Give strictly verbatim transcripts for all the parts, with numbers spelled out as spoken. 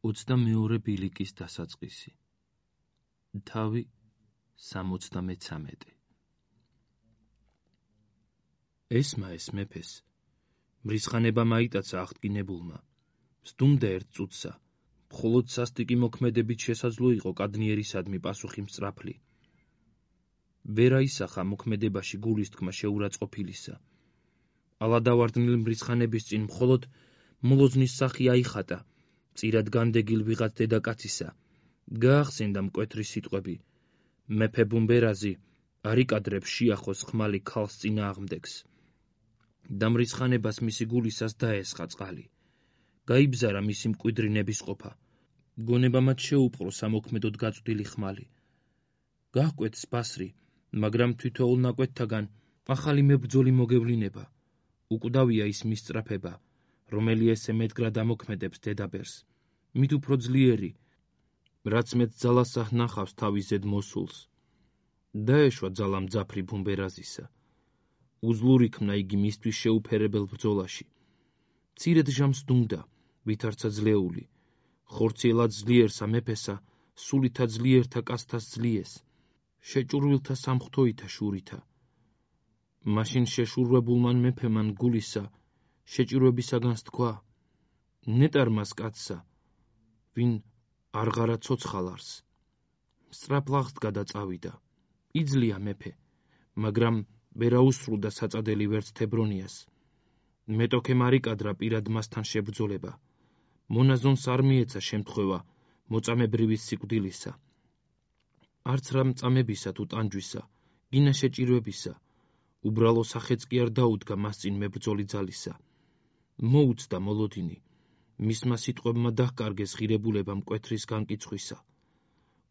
ოცდამეორე ბილიკის დასაწყისი. თავი სამოცდამეცამეტე. ესმა ეს მეფეს მრისხანება მაიტაცა აღდგინებულმა, სდუმდა ერთ წუთსა, მხოლოდ სასტიკი მოქმედებით შესაძლო იყო კადნიერისადმი პასუხი მსწრაფლი. ვერ აისახა მოქმედებაში გულის თქმა შეურაცხყოფილისა. ალადავარდნილ მრისხანების წინ მხოლოდ მოლოძნის სახი აიხატა, წირად განდეგილ ვიღაც დედაკაცისა. გაახსენდა მკვეთრი სიტყვები. მეფე ბუმბერაზი არ იკადრებს შიახოს ხმალი ქალს წინააღმდეგს. და მრისხანებას მისი გულისას დაესხა წყალი. გაიბზარა მისი მკვიდრი ნებისყოფა. გონება მათ შეუპყრო სამოქმედოდ გაწვდილი ხმალი. გაჰკვეთს ბასრი, მაგრამ თითოეულ ნაკვეთთაგან ახალი მებრძოლი მოგევლინება. უკვდავია ის მისწრაფება, რომელი ესე მეტგრად ამოქმედებს დედაბერს. მით უფრო ძლიერი, რაც მეტ ძალას ნახავს თავის ზედ მოსულს. დაეშვა ძალა მძაფრი ბუმბერაზისა. უძლური ქმნა იგი მისთვის შეუფერებელ ბრძოლაში. მცირედ ჟამს დუმდა, ვითარცა ძლეული. ხორციელად ძლიერსა მეფესა, სულითა ძლიერთა კაცთას ძლიეს. შეჭურვილთა სამღვთოითა შურითა. მაშინ შეშურვებულმან მეფემან გულისა, შეჭირვებისაგანს თქვა, ნეტარმას კაცსა, ვინ არღარა ცოცხალარს. სწრაფლაღს გადაწავიდა. იძლია მეფე, მაგრამ ვერ აუსრულდა საწადელი ვერც თებრონიას. მეტოქემ არ იკადრა პირად მასთან შებრძოლება. მონაზონს არ მიეცა შემთხვევა მოწამებრივის სიკვდილისა. არც რა მწამებისა თუ ტანჯვისა, გინა შეჭირვებისა, უბრალო სახეც კი არ დაუდგა მას წინ მებრძოლი ძალისა. მოუწდა მოლოდინი, მისმა სიტყვებმა დაჰკარგეს ღირებულება მკვეთრის განკიცხვისა.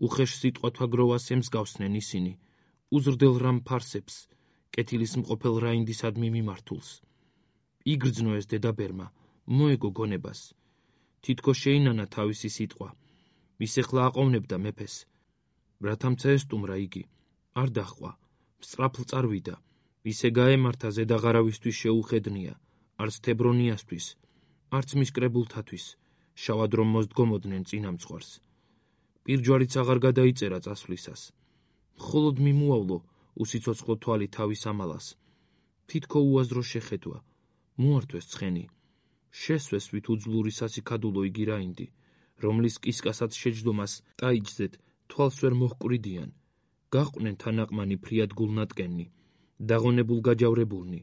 უხეშ სიტყვათა გროვას ემსგავსნენ ისინი, უზრდელ რამ ფარსებს, კეთილის მყოფელ რაინდისადმი მიმართულს. იგრძნო ეს დედაბერმა, მოეგო გონებას. თითქოს შეინანა თავისი სიტყვა. ის ეხლა აყოვნებდა მეფეს. რათამცა ესტუმრა იგი, არ დაჰყვა, მსწრაფლ წარვიდა. ისე გაემართა ზედაღარავისთვის შეუხედნია, არც თებრონიასთვის, არც მის კრებულთათვის, შავად რომ მოსდგომოდნენ წინამძღვარს. პირჯვარიც აღარ გადაიწერა წასვლისას. მხოლოდ მიმუავლო უსიცოცხლო თვალი თავის ამალას. თითქო უაზრო შეხედვა, მოართვეს ცხენი. შესვეს ვით უძლური სასიქადულო იგი რაინდი, რომლის კისკასაც შეჯდომას ტაიჯზეთ თვალს ვერ მოჰკვრიდიან. გაჰყვნენ თანაყმანი ფრიად გულნატკენი, დაღონებულ გაჯავრებულნი.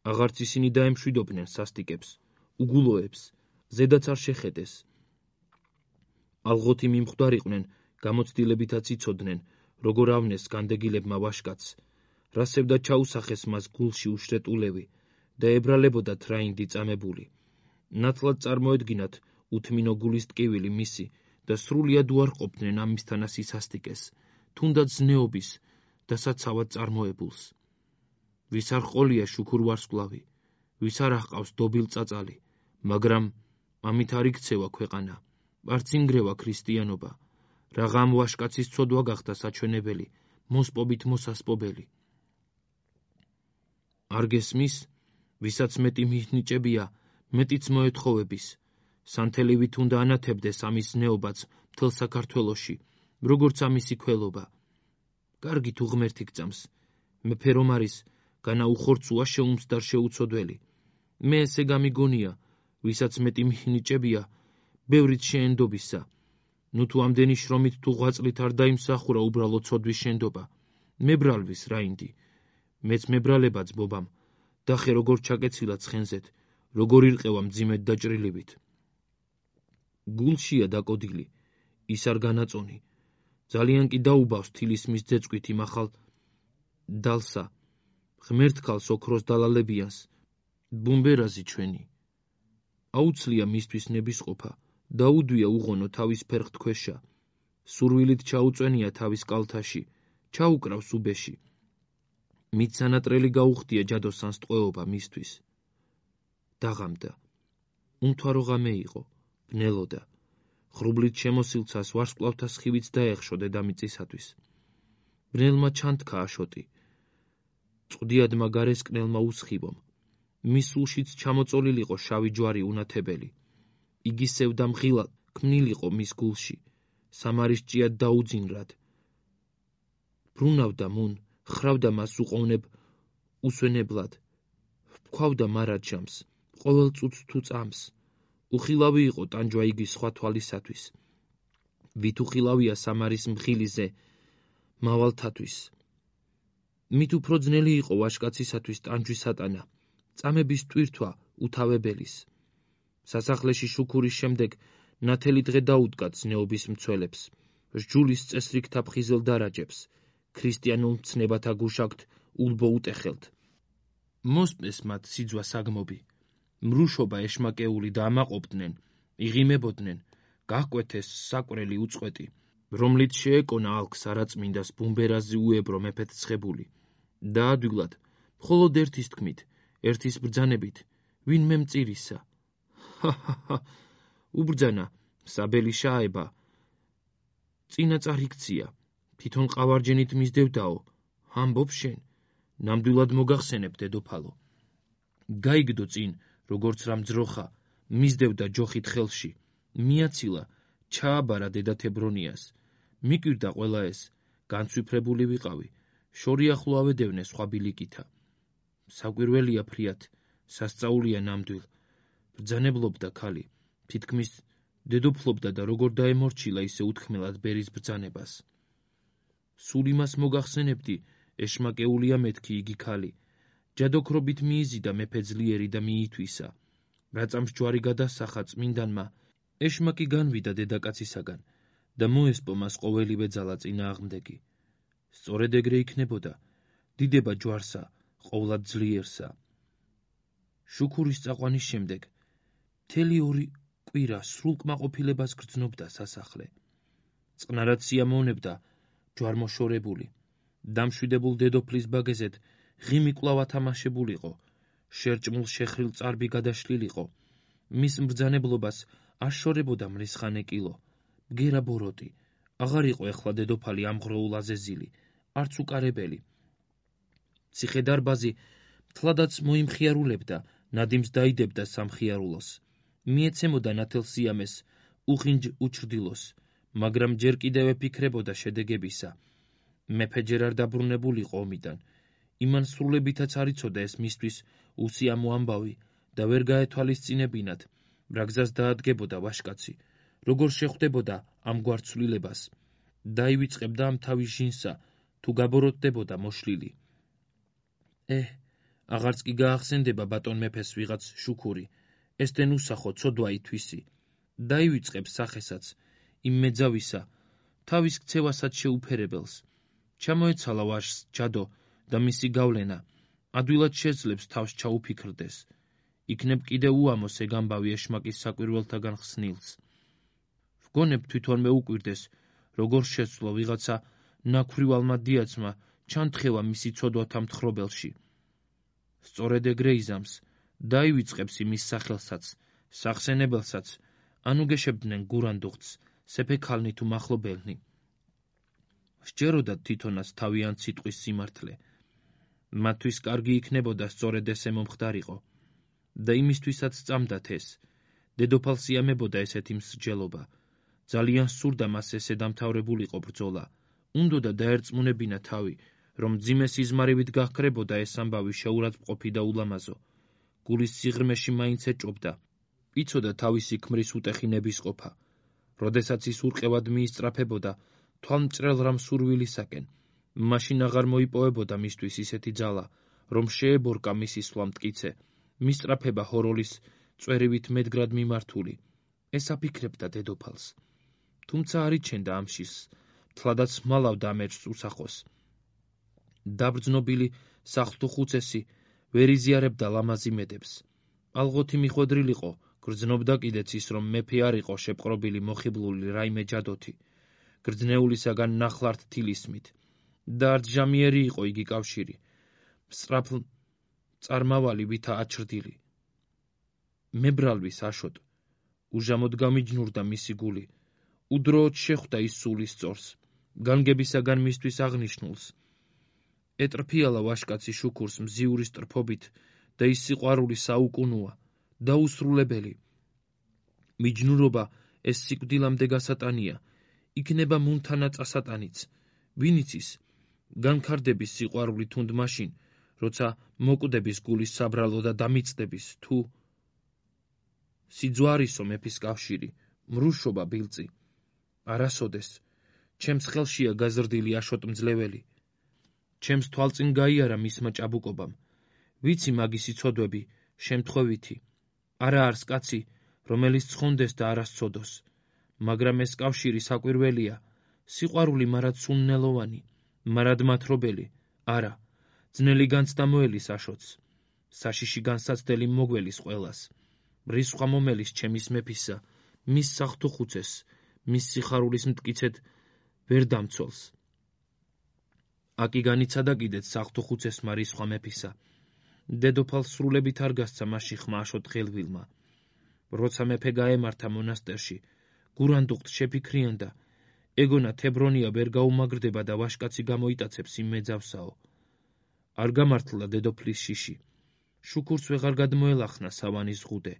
აღარც ისინი დაემშვიდობდნენ სასტიკებს, უგულოებს, ზედაც არ შეხედეს. ალღოთი მიმხვდარიყვნენ, გამოცდილებითაც იცოდნენ, როგორ ავნეს განდეგილებმა ვაშკაცს, რასევდა ჩაუსახეს მას გულში უშრეტულევი და ებრალებოდათ რაინდი წამებული. ნათლად წარმოედგინათ უთმინო გულის ტკივილი მისი და სრულიად უარყოფდნენ ამისთანა სისასტიკეს, თუნდაც ზნეობის და საცავად წარმოებულს. ვის არ ყოლია შუქურ ვარსკვლავი, ვის არ აჰყავს დობილ წაწალი, მაგრამ ამით არ იქცევა ქვეყანა, არც ინგრევა ქრისტიანობა. რაღამ ვაშკაცის ცოდვა გახდა საჩვენებელი, მოსპობით მოსასპობელი. არ გესმის, ვისაც მეტი მიჰნიჭებია, მეტიც მოეთხოვების. სანთელივით უნდა ანათებდეს ამის ზნეობაც მთელ საქართველოში, როგორც ამისი ქველობა. კარგი თუ ღმერთი გწამს, მეფე რომ არის, განა უხორცუა შეუმსდარ შეუცოდველი. მე ესე გამიგონია, ვისაც მეტი მიჰნიჭებია, ბევრიც შეენდობისა. ნუ თუ ამდენი შრომით თუ ღვაწლით არ დაიმსახურა უბრალო ცოდვის შენდობა. მებრალვის რაინდი, მეც მებრალებაც ბობამ, დახე როგორ ჩაკეცილა ცხენზეთ, როგორ ირყევა მძიმედ დაჭრილივით. გულშია დაკოდილი, ის არ განაწონი. ძალიან კი დაუბავს თილის მის ძეწვით იმ ახალ დალსა, ღმერთქალს ოქროს დალალებიანს, ბუმბერაზი ჩვენი. აუცლია მისთვის ნებისყოფა, დაუდვია უღონო თავის ფერხთქვეშა, სურვილით ჩაუწვენია თავის კალთაში, ჩაუკრავს უბეში. მით სანატრელი გაუხდია ჯადოსანს ტყვეობა მისთვის. დაღამდა. უმთვარო ღამე იყო, ბნელოდა. ღრუბლით შემოსილცას ვარსკვლავთა სხივიც დაეხშო დედამიწისათვის. ბნელმა ჩანთქა აშოტი. წვდიადმა გარესკნელმა უსხივომ. მის სულშიც ჩამოწოლილიყო შავი ჯვარი უნათებელი. იგი სევდა მღილად, ქმნილიყო მის გულში, სამარის ჭიად დაუძინრად. ბრუნავდა მუნ, ხრავდა მას უყოვნებ უსვენებლად, ვქვავდა მარაჯამს, ყოველ წუთს თუ წამს. უხილავი იყო ტანჯვა იგი სხვა თვალისათვის. ვით უხილავია სამარის მხილიზე მავალთათვის. მით უფრო ძნელი იყო ვაჟკაცისათვის ტანჯვის ატანა, წამების ტვირთვა უთავებელის. სასახლეში შუქურის შემდეგ ნათელი დღე დაუდგა ძნეობის მცველებს, სჯულის წესრიგთა ფხიზელ დარაჯებს, ქრისტიანულ მცნებათა გუშაგთ ულბო უტეხელთ. მოსპეს მათ სიძვა საგმობი, მრუშობა ეშმაკეული და ამაყობდნენ, იღიმებოდნენ, გაჰკვეთეს საკვრელი უწყვეტი, რომლით შეეკონა ალქს არაწმინდას ბუმბერაზი უებრო მეფეთ ცხებული. დაადვილად, მხოლოდ ერთის თქმით, ერთის ბრძანებით, ვინმე მწირისა. ჰა-ჰა-ჰა, უბრძანა, საბელი შაება. წინა წარიქცია, თვითონ ყავარჯენით მისდევდაო, ამბობ შენ, ნამდვილად მოგახსენებ დედოფალო. გაიგდო წინ, როგორც რამ ძროხა, მისდევდა ჯოხით ხელში, მიაცილა, ჩააბარა დედათებრონიას, მიკვირდა ყველა ეს, განცვიფრებული ვიყავი, შორი ახლო ავედევნე სხვა ბილიკითა. საკვირველია ფრიათ, სასწაულია ნამდვილ, ბრძანებლობდა ქალი, თითქმის დედოფლობდა და როგორ დაემორჩილა ისე უთქმელად ბერის ბრძანებას. სულ იმას მოგახსენებდი, ეშმაკეულია მეთქი იგი ქალი, ჯადოქრობით მიიზიდა მეფე ძლიერი და მიითვისა. რაწამს ჯვარი გადასახა წმინდანმა, ეშმაკი განვიდა დედაკაცისაგან და მოესპო მას ყოველივე ძალა წინააღმდეგი. სწორედ ეგრე იქნებოდა, დიდება ჯვარსა, ყოვლად ძლიერსა. შუქურის წაყვანის შემდეგ მთელი ორი კვირა სრულ კმაყოფილებას გრძნობდა სასახლე. წყნარად სიამოვნებდა ჯვარმოშორებული, დამშვიდებულ დედოფლის ბაგეზეთ ღიმი კვლავ ათამაშებულიყო, შერჭმულ შეხრილ წარბი გადაშლილიყო, მის მბრძანებლობას აშორებოდა მრისხანე კილო, ბგერა ბოროტი, აღარ იყო ეხლა დედოფალი ამღროულ აზეზილი, არც უკარებელი. ციხე-დარბაზი მთლადაც მოიმხიარულებდა, ნადიმს დაიდებდა სამხიარულოს, მიეცემოდა ნათელ სიამეს, უხინჯ უჩრდილოს, მაგრამ ჯერ კიდევ ეფიქრებოდა შედეგებისა. მეფე ჯერ არ დაბრუნებულიყო ომიდან, იმან სრულებითაც არ იცოდა ეს მისთვის უსიამო ამბავი და ვერ გაეთვალისწინებინათ, რა გზას დაადგებოდა ვაჟკაცი, როგორ შეხვდებოდა ამგვარ ცვლილებას, დაივიწყებდა ამ თავის ჟინსა, თუ გაბოროტდებოდა მოშლილი. ეჰ, აღარც კი გაახსენდება ბატონ მეფეს ვიღაც შუქური, ესდენ უსახო ცოდვა ითვისი, დაივიწყებს სახესაც, იმ მეძავისა, თავის ქცევასაც შეუფერებელს. ჩამოეცალა ვაჟს ჯადო და მისი გავლენა, ადვილად შეძლებს თავს ჩაუფიქრდეს. იქნებ კიდევ უამოს ეგ ამბავი ეშმაკის საკვირველთაგან ხსნილს. ვგონებ თვითონ მეუკვირდეს, როგორ შეცვლო ვიღაცა ნაქვრივალმა დიაცმა ჩანთხევა მისი ცოდვათა მთხრობელში. სწორედ ეგრე იზამს, დაივიწყებს იმის სახელსაც, სახსენებელსაც, ანუ გეშებდნენ გურანდუღწს, სეფექალნი თუ მახლობელნი. სჯეროდათ თვითონაც თავიანთ სიტყვის სიმართლე. მათთვის კარგი იქნებოდა სწორედ ესე მომხდარიყო და იმისთვისაც წამდათ ეს. დედოფალს იამებოდა ესეთი მსრჯელობა. ძალიან სურდა მას ესე დამთავრებულიყო ბრძოლა. უნდოდა დაერწმუნებინა თავი, რომ მძიმე სიზმარივით გაჰქრებოდა ეს ამბავი შეურაცხმყოფი და ულამაზო. გულის სიღრმეში მაინც ეჭობდა. იცოდა თავისი ქმრის უტეხი ნებისყოფა. როდესაც ის ურყევად მიისწრაფებოდა თვალმჭრელ რამ სურვილისაკენ, მაშინ აღარ მოიპოვებოდა მისთვის ისეთი ძალა, რომ შეებორკა მისი სვლა მტკიცე, მისწრაფება ჰოროლის წვერივით მედგრად მიმართული. ეს აფიქრებდა დედოფალს. თუმცა არ იჩენდა ამშის, თლადაც მალავდა ამ ეჭვს უსახოს. დაბრძნობილი სახლთუხუცესი ვერ იზიარებდა ლამაზი მედებს. ალღოთი მიხვედრილიყო, გრძნობდა კიდეც ის, რომ მეფე არ იყო შეპყრობილი მოხიბლული რაიმე ჯადოთი, გრძნეულისაგან ნახლართ თილისმით, და არც ჟამიერი იყო იგი კავშირი, მსწრაფ წარმავალი ვითა აჩრდილი. მებრალვის აშოტ, უჟამოდ გამიჯნურდა მისი გული, უდროოდ შეხვდა ის სულის სწორს, განგებისაგან მისთვის აღნიშნულს. ეტრფიალა ვაჟკაცი შუქურს მზიური სტრფობით და ის სიყვარული საუკუნოა, დაუსრულებელი. მიჯნურობა ეს სიკვდილამდე გასატანია, იქნება მუნთანა წასატანიც. ვინ იცის, განქარდების სიყვარული თუნდ მაშინ, როცა მოკვდების გულის საბრალო და დამიწდების, თუ სიძვარისო მეფის კავშირი, მრუშობა ბილწი. არასოდეს, ჩემს ხელშია გაზრდილი აშოტმძლეველი. ჩემს თვალწინ გაიარა მისმა ჭაბუკობამ. ვიცი მაგისი ცოდვები, შემთხვევითი. არა არს კაცი, რომელიც ცხონდეს და არა სცოდოს. მაგრამ ეს კავშირი საკვირველია, სიყვარული მარად სუნნელოვანი, მარად მათრობელი, არა, ძნელი განცდა მოელის აშოც. საშიში განსაცდელი მოგველის ყველას. რისხვა მომელის ჩემის მეფისა, მის საღვთო ხუცეს, მის სიხარულის მტკიცედ ვერ დამცველს. აკი განიცადა კიდეც საღვთო ხუცესმა რისხვა მეფისა. დედოფალს სრულებით არ გასცა მასში ხმა აშოტ ღელვილმა. როცა მეფე გაემართა მონასტერში, გურანდუხტ შეფიქრიანდა, ეგონა თებრონია ვერ გაუმაგრდება და ვაშკაცი გამოიტაცებს იმ მეძავსაო. არ გამართლა დედოფლის შიში. შუქურს ვეღარ გადმოელახნა სავანის ზღუდე.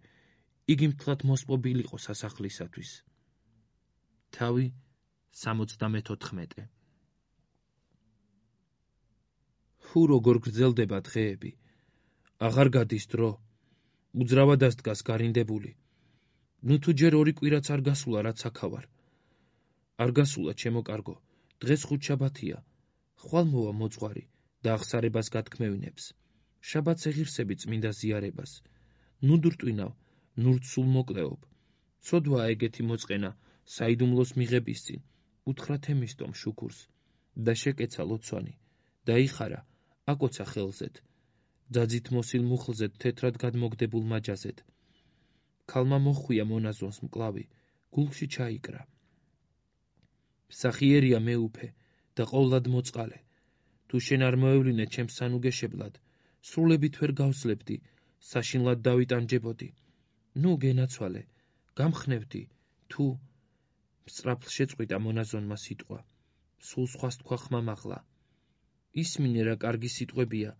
იგი მთლად მოსპობილიყო სასახლისათვის. თავი სამოცდამეთოთხმეტე. ჰუ როგორ გრძელდება დღეები. აღარ გადის დრო. უძრავად ასდგას გარინდებული. ნუ თუ ჯერ ორი კვირაც არ გასულა რაც აქავარ. არ გასულა ჩემო კარგო, დღეს ხუთშაბათია. ხვალ მოვა მოძღვარი და აღსარებას გათქმევინებს. შაბათს ეღირსები წმინდა ზიარებას. ნუ დურტვინავ, ნურთ სულ მოკლეობ. ცოდვაა ეგეთი მოწყენა საიდუმლოს მიღების წინ. უთხრა თემისტომ შუქურს და შეკეცა ლოცვანი. დაიხარა, აკოცა ხელზედ. ძაძით მოსილ მუხლზედ თეთრად გადმოგდებულ მაჯაზედ. ქალმა მოხვია მონაზონს მკლავი, გულში ჩაიკრა. მსახიერია მეუფე და ყოვლად მოწყალე. თუ შენ არ მოევლინე ჩემს სანუგეშებლად, სრულებით ვერ გავსლებდი, საშინლად დავიტანჯებოდი. ნუ გენაცვალე, გამხნევდი, თუ სწრაფლ შეწყვიტა მონაზონმა სიტყვა. სულ სხვას თქვა ხმამაღლა. ისმინე რა კარგი სიტყვებია,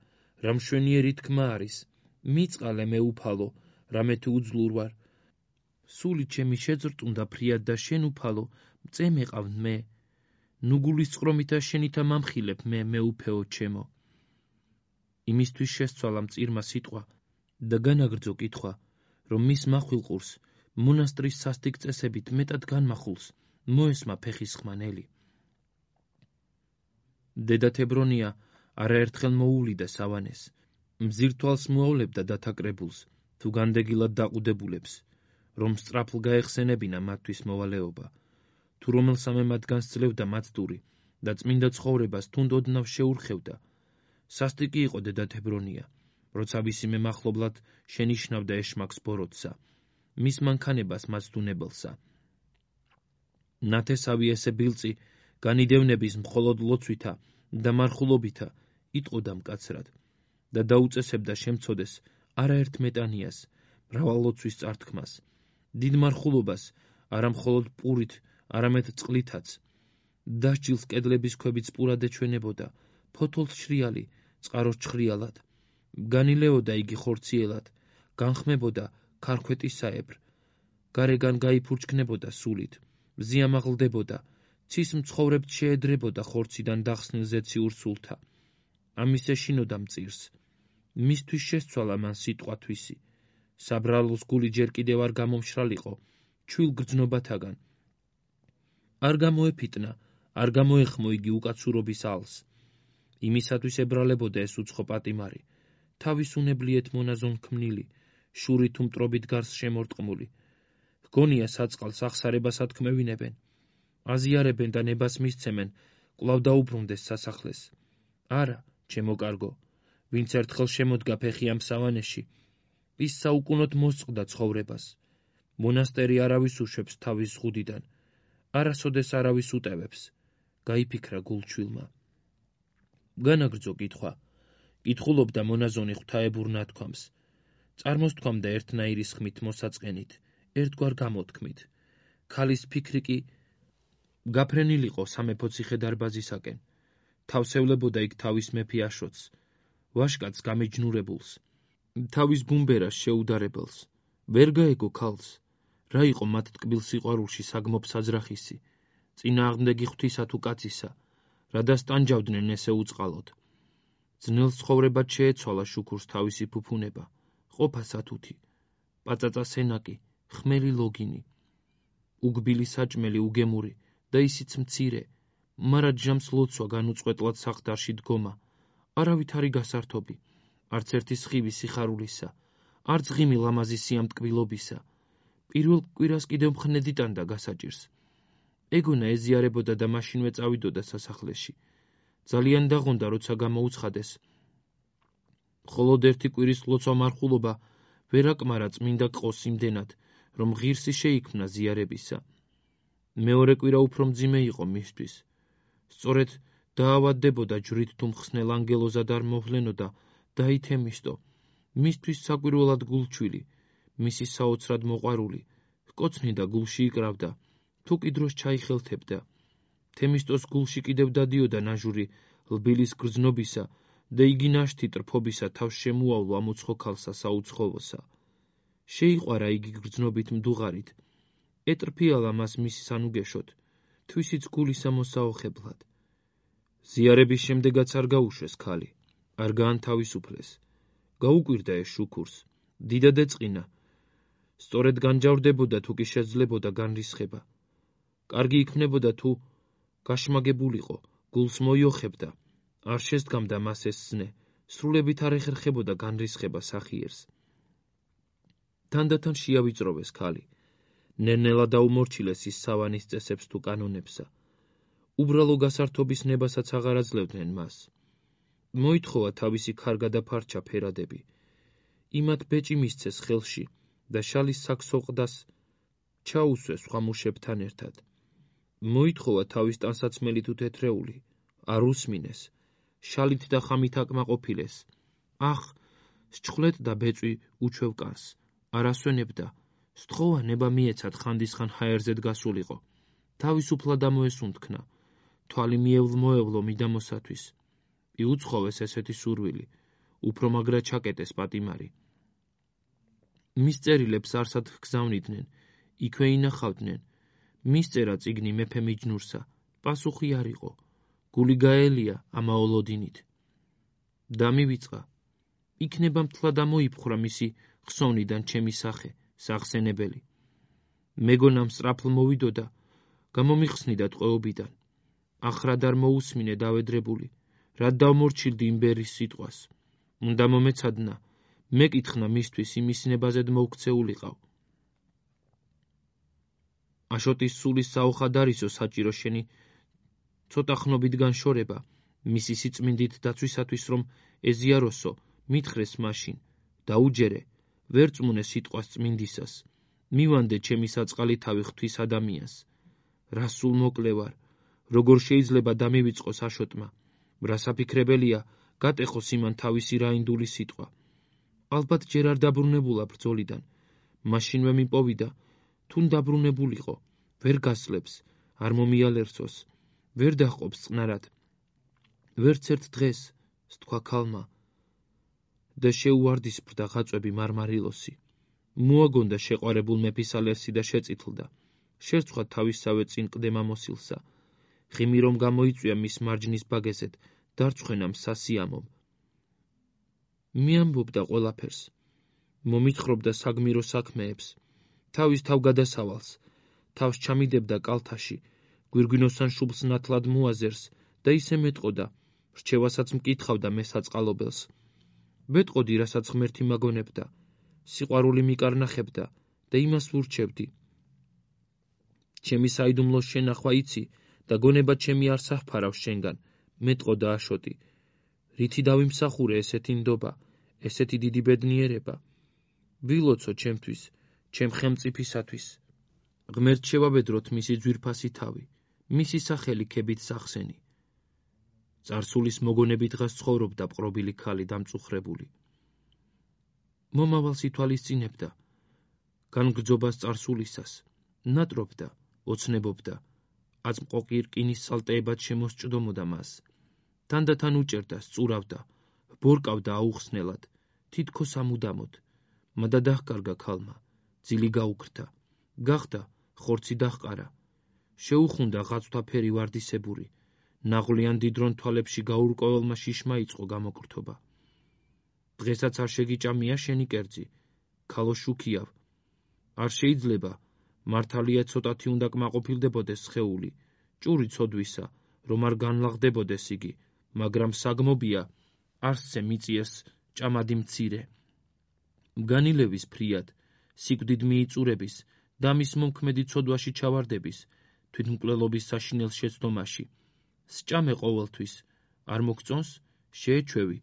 რა მშვენიერი თქმა არის. მიწყალე მეუფალო, რამე თუ უძლურ ვარ. სული ჩემი შეძრტუნდა ფრიად და შენ უფალო, მწე მეყავ მე. ნუ გულის წყრომითა შენითა მამხილებ მე, მეუფეო ჩემო. იმისთვის შესცვალა მწირმა სიტყვა და განაგრძო კითხვა, რომ მის מחვილყურს მონასტრის სასტიკ წესებით მეტად განმახულს, მოესმა ფეხის ხმანელი. დედა თებრონია არაერთხელ მოუვლიდა სავანეს. მზირ თვალს მოავლებდა დათაკრებულს, თუ განდეგილად დაყუდებულებს, რომ სწრაფლ გაეხსენებინა მათთვის მოვალეობა. თუ რომელსამე მათგანს ძლევდა მაცდური და წმინდა ცხოვრებას თუნდ ოდნავ შეურხევდა. სასტიკი იყო დედა თებრონია, როცა ვისიმე მახლობლად შენიშნავდა ეშმაკს ბოროტსა, მის მანქანებას მაცდუნებელსა. ნათესავი ესე ბილწი განიდევნების მხოლოდ ლოცვითა და მარხულობითა იტყოდა მკაცრად და დაუწესებდა შემცოდეს არაერთ მეტანიას, მრავალლოცვის წართქმას, დიდ მარხულობას არა მხოლოდ პურით, არამედ წყლითაც. დასჯილს კედლების ქვებიც პურად ეჩვენებოდა, ფოთოლს შრიალი, წყაროს ჩხრიალად. განილეოდა იგი ხორციელად, განხმებოდა ქარქვეტისაებრ. გარეგან გაიფურჩქნებოდა სულით, ზიამაღლდებოდა, ცის მცხოვრებთ შეედრებოდა ხორციდან დახსნილ ზეციურ სულთა. ამის ეშინოდა მწირს. მისთვის შესცვალა მან სიტყვა თვისი. საბრალოს გული ჯერ კიდევ არ გამომშრალიყო, ჩვილ გრძნობათაგან. არ გამოეფიტნა, არ გამოეხმო იგი უკაცურობის ალს. იმისათვის ებრალებოდა ეს უცხო პატიმარი. თავის უნებლიეთ მონაზონ ქმნილი, შური თუ მტრობით გარს შემორტყმული. ჰგონია საწყალს აღსარებას ათქმევინებენ. აზიარებენ და ნებას მისცემენ, კვლავ დაუბრუნდეს სასახლეს. არა, ჩემო კარგო, ვინც ერთხელ შემოდგა ფეხი ამ სავანეში, ის საუკუნოდ მოსწყდა ცხოვრებას. მონასტერი არავის უშვებს თავის ზღუდიდან, არასოდეს არავის უტევებს. გაიფიქრა გულჩვილმა. განაგრძო კითხვა. კითხულობდა მონაზონი ღვთაებურ ნათქვამს. წარმოსთქვამდა ერთნაირი სხმით მოსაწყენით, ერთგვარ გამოთქმით. ქალის ფიქრი კი გაფრენილიყო სამეფო ციხე-დარბაზისაკენ. თავსევლებოდა იქ თავის მეფე აშოტს, ვაშკაცს გამეჯნურებულს, თავის ბუმბერას შეუდარებელს. ვერ გაეგო ქალს, რა იყო მათ ტკბილ სიყვარულში საგმობ საძრახისი, წინააღმდეგი ღვთისა თუ კაცისა, რადას ტანჯავდნენ ესე უწყალოდ. ძნელ ცხოვრებად შეეცვალა შუქურს თავისი ფუფუნება, ყოფა სათუთი, პაწაწა სენაკი, ხმელი ლოგინი, უგბილი საჭმელი უგემური და ისიც მცირე, მარა ჯამს ლოცვა განუწყვეტლად საყდარში დგომა, არავითარი გასართობი, არც ერთი სხივი სიხარულისა, არც ღიმი ლამაზი სიამტკბილობისა. პირველ კვირას კიდევ მხნედი ტანდა გასაჭირს. ეგონა ეზიარებოდა და მაშინვე წავიდოდა სასახლეში. ძალიან დაღონდა, როცა გამოუცხადეს. მხოლოდ ერთი კვირის ლოცვა მარხულობა ვერ აკმარა წმინდა ყოს იმდენად, რომ ღირსი შეიქმნა ზიარებისა. მეორე კვირა უფრო მძიმე იყო მისთვის. სწორედ დაავადდებოდა ჯვრით თუ მხსნელ ანგელოზად არ მოვლენოდა დაითემისტო, მისთვის საკვირველად გულჩვილი, მისი საოცრად მოყვარული, ჰკოცნიდა გულში იკრავდა, თუ კი დროს ჩაიხელთებდა. თემისტოს გულში კიდევ დადიოდა ნაჟური ლბილის გრძნობისა და იგი ნაშთი ტრფობისა თავს შემუავლო ამ უცხო ქალსა საუცხოოსა. შეიყვარა იგი გრძნობით მდუღარით, ეტრფიალა მას მისი სანუგეშოთ, თვისიც გულისა მოსაოხებლად. ზიარების შემდეგაც არ გაუშვეს ქალი, არ გაანთავისუფლეს. გაუკვირდა ეს შუქურს, დიდად ეწყინა. სწორედ განჯავრდებოდა თუ კი შეძლებოდა განრისხება. კარგი იქნებოდა თუ გაშმაგებულიყო, გულს მოიოხებდა, არ შესდგამდა მას ეს ზნე, სრულებით არ ეხერხებოდა განრისხება სახიერს. თანდათან შეავიწროვეს ქალი, ნელ-ნელა დაუმორჩილეს ის სავანის წესებს თუ კანონებსა. უბრალო გასართობის ნებასაც აღარ აძლევდნენ მას. მოითხოვა თავისი ქარგა და ფარჩა ფერადები. იმათ ბეჭი მისცეს ხელში და შალის საქსოყდას ჩაუსვეს სხვა მუშებთან ერთად. მოითხოვა თავის ტანსაცმელი თუ თეთრეული, არ უსმინეს, შალით და ხამით აკმაყოფილეს. ახ, სჩხლეთ და ბეწვი უჩვევ კანს, არ ასვენებდა, სთხოვა ნება მიეცად ხანდისხან ჰაერზედ გასულიყო. თავისუფლად ამოესუნთქნა, თვალი მიევლ-მოევლო მიდამოსათვის. იუცხოვეს ესეთი სურვილი, უფრო მაგრა ჩაკეტეს პატიმარი. მის წერილებს არსად ჰგზავნიდნენ, იქვე ინახავდნენ. მის წერა წიგნი მეფე მიჯნურსა, პასუხი არ იყო, გული გაელია ამაოლოდინით. დამივიწყა, იქნება მთლად ამოიფხვრა მისი ხსოვნიდან ჩემი სახე, სახსენებელი. მეგონა მსწრაფლ მოვიდოდა, გამომიხსნიდა ტყვეობიდან. ახრად არ მოусმინე დავედრებული, რად დავმორჩილდი იმ ბერის სიტყვას. უნდა მომეცადნა, მეკითხნა მისთვის იმის ნებაზედ მოვქცეულიყავ. აშოტის სულის საოხად არისო საჭირო შენი ცოტა ხნობით განშორება, მისი სიწმინდით დაცვისათვის რომ ეზიაროსო, მითხრეს მაშინ, დაუჯერე, ვერ წმუნე სიტყვას წმინდისას, მივანდე ჩემი საწყალი თავი ღვთის ადამიანს. რა სულ მოკლე ვარ, როგორ შეიძლება დამივიწყოს აშოტმა, რა საფიქრებელია, გატეხოს იმან თავისი რაინდული სიტყვა. ალბათ ჯერ არ დაბრუნებულა ბრძოლიდან, მაშინვე მიპოვიდა, თუნ დაბრუნებულიყო, ვერ გასლებს, არ მომიალერსოს, ვერ დაჰყოფს წყნარად. ვერც ერთ დღეს, სთქვა ქალმა, და შეუვარდისფრდა ღაწვები მარმარილოსი. მოაგონდა შეყვარებულ მეფის ალერსი და შეწითლდა. შერცვა თავისსავე წინ ყდემა მოსილსა. ღიმი რომ გამოიწვია მის მარჯნის ბაგეზეთ, დარწხვენამ სასიამომ. მიამბობდა ყველაფერს, მომითხრობდა საგმირო საქმეებს, თავის თავგადასავალს, თავს ჩამიდებდა კალთაში, გვირგვინოსან შუბლს ნათლად მოაზერს და ისე მეტყოდა, რჩევასაც მკითხავდა მესაწყალობელს. ვეტყოდი, რასაც ღმერთი მაგონებდა, სიყვარული მიკარნახებდა და იმას ვურჩევდი. ჩემი საიდუმლოს შენახვა იცი და გონება ჩემი არ საფარავ შენგან, მეტყოდა აშოტი. რითი დავიმსახურე ესეთი ნდობა, ესეთი დიდი ბედნიერება. ვილოცო ჩემთვის, ჩემ ხელმწიფისათვის. ღმერთ შევაბედროთ მისი ძვირფასი თავი, მისი სახელი ქებით სახსენი. წარსულის მოგონები დღას ცხოვრობდა პყრობილი ქალი დამწუხრებული. მომავალს ითვალისწინებდა, განგრძობას წარსულისას, ნატრობდა, ოცნებობდა, აწმყოყი რკინის სალტეებად შემოსჭდომოდა მას. თანდათან უჭერდა, სწურავდა, ბორკავდა აუხსნელად, თითქოს ამუდამოდ, მადა დაჰკარგა ქალმა, ძილი გაუქრთა, გახდა ხორცი დაჰყარა. შეუხუნდა ღაცვთაფერი ვარდისებური. ნაღვლიან დიდრონ თვალებში გაურკვეველმა შიშმა იწყო გამოკრთობა. დღესაც არ შეგიჭამია შენი კერძი, ქალო შუქიავ. არ შეიძლება, მართალია ცოტათი უნდა კმაყოფილდებოდეს სხეული, ჭური ცოდვისა, რომ არ განლაღდებოდეს იგი, მაგრამ საგმობია, არსზე მიწიეს ჭამადი მცირე. მგანილების ფრიად, სიკვდიდ მიიწურების, დამის მომქმედი ცოდვაში ჩავარდების, თვითმკვლელობის საშინელ შეცდომაში. სჭამე ყოველთვის, არ მოგწონს, შეეჩვევი,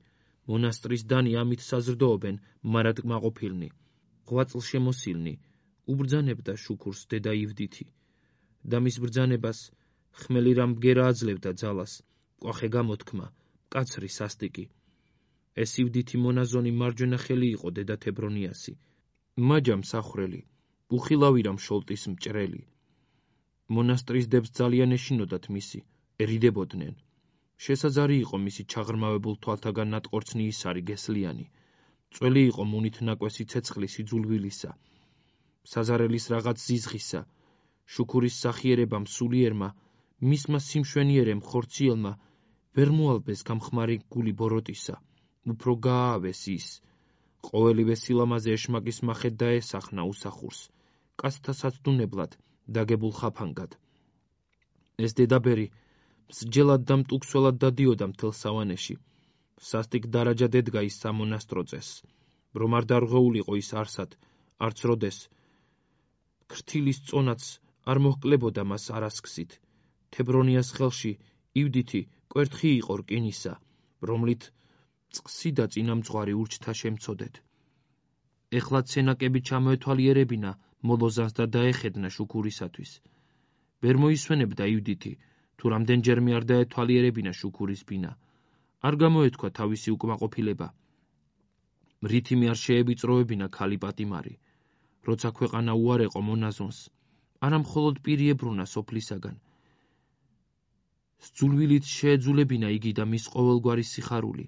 მონასტრის დანი ამით საზრდოობენ, მარად კმაყოფილნი. ღვაწლ შემოსილნი, უბრძანებდა შუქურს დედა ივდითი. და მის ბრძანებას ხმელი რამ ბგერა აძლევდა ძალას, კვახე გამოთქმა, მკაცრი სასტიკი. ეს ივდითი მონაზონი მარჯვენა ხელი იყო დედა თებრონიასი. მაჯა მსახრელი, უხილავი რამ შოლტის მჭრელი. მონასტრის დებს ძალიან ეშინოდათ მისი, ერიდებოდნენ. შესაძარი იყო მისი ჩაღრმავებულ თვალთაგან ნატყორცნი ისარი გესლიანი. წველი იყო მუნით ნაკვესი ცეცხლის იძულვილისა. საზარელის რაღაც ზიზღისა, შუქურის სახიერებამ სულიერმა, მისმა სიმშვენიერემ ხორციელმა, ვერ მოალბეს გამხმარი გული ბოროტისა, უფრო გააავეს ის. ყოველივე სილამაზე ეშმაკის მახეთ დაესახნა უსახურს, კაცთა საცდუნებლად, დაგებულ ხაფანგად. ეს დედაბერი მსჯელად და მტუქსველად დადიოდა მთელ სავანეში. სასტიკ დარაჯად ედგა ის სამონასტრო წესს, რომ არ დარღვეულიყო ის არსად, არც როდეს. ქრთილის წონაც არ მოჰკლებოდა მას არასქსით. თებრონიას ხელში ივდითი კვერთხი იყო რკინისა, რომლით წყსი და წინამძღვარი ურჩთა შემცოდეთ. ეხლა ცენაკები ჩამოეთვალიერებინა მოლოზანს და დაეხედნა შუქურისათვის. ვერ მოისვენებდა ივდითი, თუ რამდენჯერმე არ დაეთვალიერებინა შუქურის ბინა. არ გამოეთქვა თავისი უკმაყოფილება. რითიმე არ შეებიწროებინა ქალი პატიმარი. როცა ქვეყანა უარეყო მონაზონს, არა მხოლოდ პირი ებრუნა სოფლისაგან. სძულვილით შეეძულებინა იგი და მის ყოველგვარი სიხარული.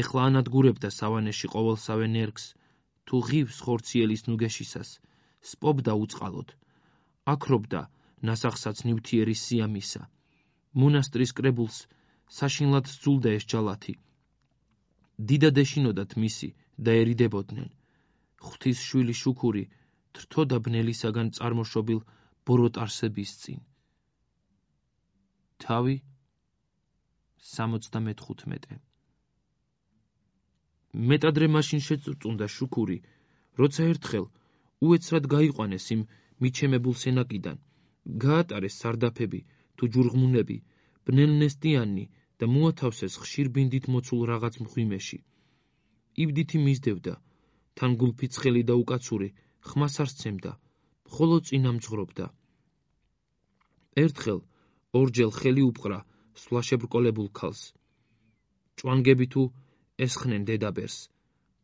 ეხლა ანადგურებდა სავანეში ყოველსავე ნერგს, თუ ღივს ხორციელის ნუგეშისას, სპობდა უწყალოდ. აქრობდა ნასახსაც ნივთიერი სიამისა. მონასტრის კრებულს საშინლად სძულდა ეს ჯალათი. დიდად ეშინოდათ მისი და ერიდებოდნენ. ღვთის შვილი შუქური თრთოდა ბნელისაგან წარმოშობილ ბოროტარსების წინ. თავი სამოცდამეთხუთმეტე. მეტადრე მაშინ შეწუწუნდა შუქური, როცა ერთხელ უეცრად გაიყვანეს იმ მიჩემებულ სენაკიდან, გაატარეს სარდაფები თუ ჯურღმუნები, ბნელნესტიანი და მოათავსეს ხშირ ბინდით მოცულ რაღაც მღვიმეში. ივდითი მისდევდა, თან გულფი ცხელი და უკაცური, ხმას არ სცემდა, მხოლოდ წინამძღვრობდა. ერთხელ ორჯერ ხელი უპყრა სვლაშებრკოლებულ ქალს. ჭვანგები თუ ესხნენ დედაბერს,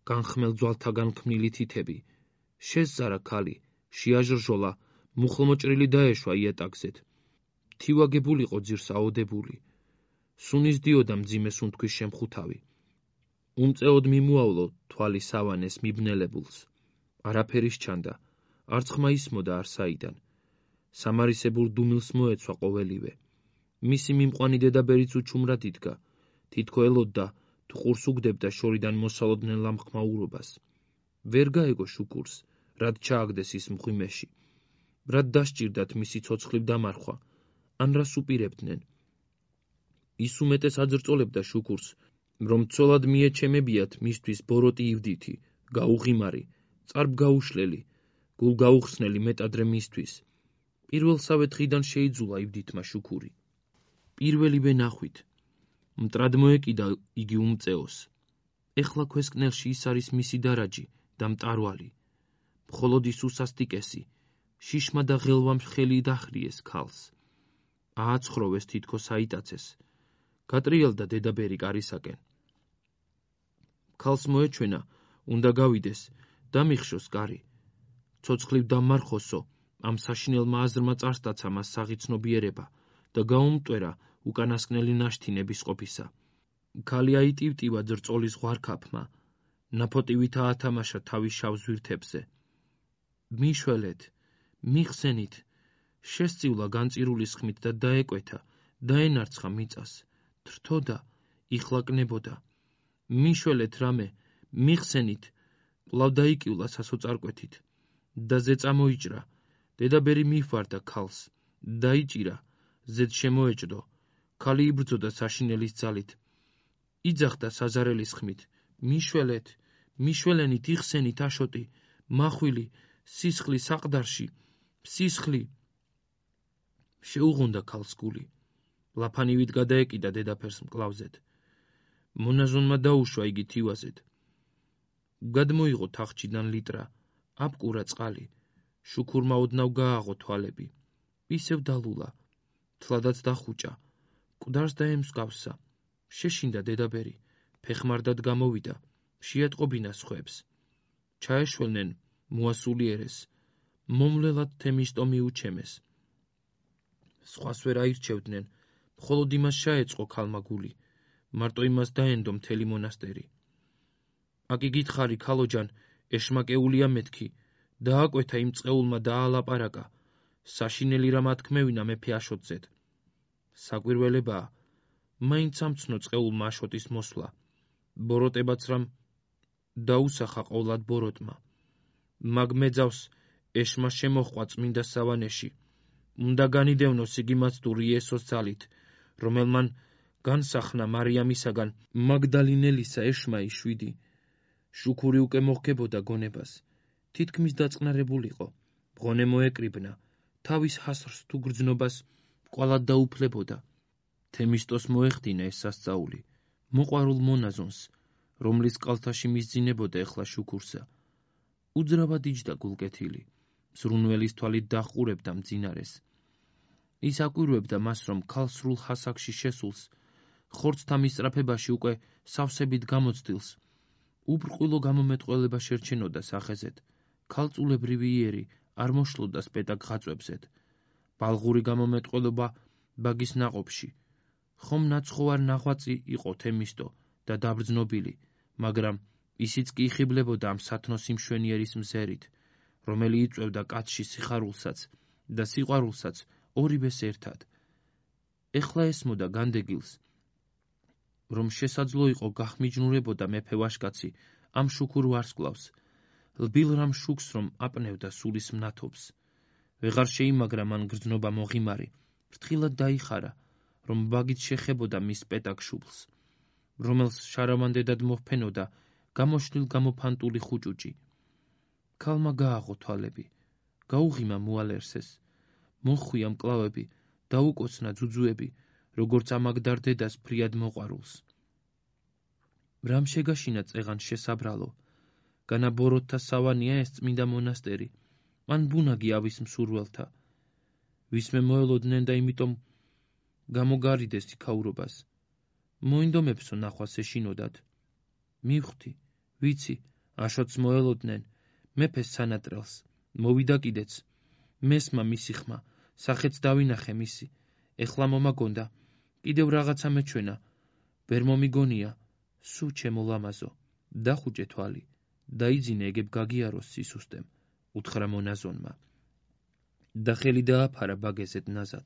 განხმელ ძვალთაგან ქმნილი თითები. შესზარა ქალი, შეაჟრჟოლა, მუხლმოჭრილი დაეშვა იატაკზეთ. თივაგებულიყო ძირს აოდებული. სუნის დიოდა მძიმე სუნთქვის შემხუთავი. უმწეოდ მიმოავლო თვალი სავანეს მიბნელებულს. არაფერი სჩანდა, არც ხმა ისმოდა არსაიდან. სამარისებულ დუმილს მოეცვა ყოველივე. მისი მიმყვანი დედაბერიც უჩუმრად იდგა, თითქო ელოდდა, თუ ყურს უგდებდა შორიდან მოსალოდნელ ლამხმაურობას. ვერ გაეგო შუქურს, რად ჩააგდეს ის მღვიმეში. რად დასჭირდათ მისი ცოცხლივ დამარხვა, ან რას უპირებდნენ. ის უმეტეს აძრწოლებდა შუქურს, რომ ცოლად მიეჩემებიათ მისთვის ბოროტი ივდითი, გაუღიმარი, წარბგაუშლელი, გულგაუხსნელი მეტადრე მისთვის. პირველსავე დღიდან შეიძულა ივდითმა შუქური. პირველივე ნახვით. მტრად მოეკიდა იგი უმწეოს. ეხლა ქვესკნელში ის არის მისი დარაჯი და მტარვალი. მხოლოდ ის უსასტიკესი, შიშმა და ღელვამ ხელი დახრიეს ქალს. ააცხროვეს თითქოს აიტაცეს. გატრიალდა დედაბერი კარისაკენ. ქალს მოეჩვენა, უნდა გავიდეს, დამიხშოს კარი. ცოცხლივ დამარხოსო, ამ საშინელმა აზრმა წარსტაცა მას საღიცნობიერება და გაუმტვერა უკანასკნელი ნაშთინების ყოფისა. ქალი აიტივტივა ძრწოლის ღვარქაფმა, ნაფოტივით აათამაშა თავის შავ ზვირთებზე. მიშველეთ, მიხსენით, შესწივლა განწირული სხმით და დაეკვეთა, დაენარცხა მიწას, თრთოდა, იხლაკნებოდა. მიშველეთ რამე, მიხსენით, კვლავ დაიკივლა სასოწარკვეთით და ზე წამოიჭრა, დედაბერი მიჰვარდა ქალს, დაიჭირა, ზედ შემოეჭდო, ქალი იბრძოდა საშინელის ძალით. იძახდა საზარელის ხმით, მიშველეთ, მიშველენით, იხსენით, აშოტი, მახვილი, სისხლი საყდარში, სისხლი. შეუღუნდა ქალს გული. ლაფანივით გადაეკიდა დედაფერს მკლავზედ. მონაზონმა დაუშვა იგი თივაზედ. გადმოიღო თახჩიდან ლიტრა, აბკურა წყალი, შუქურმა ოდნავ გააღო თვალები. ისევ დალულა, თლადაც დახუჭა, მკვდარს დაემსგავსა. შეშინდა დედაბერი, ფეხმარდად გამოვიდა, შეატყობინა სხვებს. ჩაეშველნენ, მოასულიერეს, მომლელად თემისტო მიუჩემეს. სხვას ვერ აირჩევდნენ, მხოლოდ იმას ჩაეწყო ქალმა გული, მარტო იმას დაენდო მთელი მონასტერი. აკი გითხარი, ქალოჯან, ეშმაკეულია მეთქი, დააკვეთა იმ წყეულმა დაალაპარაკა, საშინელი რა მათქმევინა მეფე აშოტზედ. საკვირველებაა, მაინც ამცნო წყეულმა აშოტის მოსვლა, ბოროტებაც რამ დაუსახა ყოვლად ბოროტმა. მაგ მეძავს ეშმა შემოჰყვა წმინდა სავანეში, უნდა განიდევნოს იგი მას თუ იესოს ძალით, რომელმან განსახნა მარიამისაგან მაგდალინელისა ეშმაი შვიდი. შუქური უკვე მოჰგებოდა გონებას, თითქმის დაწყნარებულიყო, მღონე მოეკრიბნა, თავის ჰასრს თუ გრძნობას ყვალად დაუფლებოდა. თემისტოს მოეხდინა ეს სასწაული, მოყვარულ მონაზონს, რომლის კალთაში მისძინებოდა ეხლა შუქურსა. უძრავად იჯდა გულკეთილი, ზრუნველის თვალით დაჰყურებდა მძინარეს. ის აკვირვებდა მას, რომ ქალ სრულ ჰასაკში შესულს, ხორცთა მისწრაფებაში უკვე სავსებით გამოცდილს, უბრყვილო გამომეტყველება შერჩენოდა სახეზეთ, ქალწულებრივი იერი არ მოშლოდა სპეტაკ ღაწვებზეთ. ბალღური გამომეტყველება ბაგის ნაყოფში. ხომ ნაცხოვარ ნაღვაწი იყო თემისტო და დაბრძნობილი, მაგრამ ისიც კი იხიბლებოდა ამ სათნოს იმშვენიერის მზერით, რომელი იწვევდა კაცში სიხარულსაც და სიყვარულსაც ორივეს ერთად. ეხლა ესმოდა განდეგილს, რომ შესაძლო იყო გახმიჯნურებოდა მეფე ვაშკაცი ამ შუქურ ვარსკვლავს, ლბილ რამ შუქს რომ აპნევდა სულის მნათობს. ვეღარ შეიმაგრა მან გრძნობა მოღიმარი, ფრთხილად დაიხარა, რომ ბაგით შეხებოდა მის სპეტაკ შუბლს, რომელს შარავანდედად მოჰფენოდა გამოშლილ გამოფანტული ხუჭუჭი. ქალმა გააღო თვალები, გაუღიმა მუალერსეს, მოხვია მკლავები, დაუკოცნა ძუძუები, როგორც ამაგდარ დედას ფრიად მოყვარულს. რამ შეგაშინა წეღან შესაბრალო, განა ბოროტთა სავანია ეს წმინდა მონასტერი, ან ბუნაგი ავის მსურველთა. ვისმე მოელოდნენ და იმიტომ გამოგარიდეს იქაურობას. მოინდომებსო ნახვას ეშინოდათ. მივხვდი, ვიცი, აშოტს მოელოდნენ, მეფეს სანატრელს, მოვიდა კიდეც, მესმა მისი ხმა, სახეც დავინახე მისი, ეხლა მომაგონდა, კიდევ რაღაცა მეჩვენა, ვერ მომიგონია, სუ ჩემო ლამაზო, დახუჭე თვალი, დაიძინე ეგებ გაგიაროს სისუსტემ, უთხრა მონაზონმა. და ხელი დააფარა ბაგეზეთ ნაზად.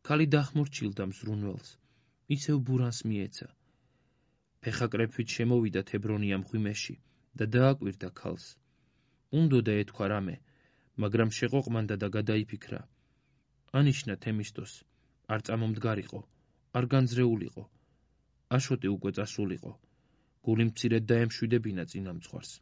ქალი დახმორჩილდა მზრუნველს, ისევ ბურანს მიეცა. ფეხაკრეფით შემოვიდა თებრონია მღვიმეში და დააკვირდა ქალს. უნდოდა ეთქვა რამე, მაგრამ შეყოყმანდა და გადაიფიქრა. ანიშნა თემისტოს, არ წამომდგარიყო, არ განძრეულიყო. აშოტი უკვე წასულიყო, გული მცირედ დაემშვიდებინა წინამძღვარს.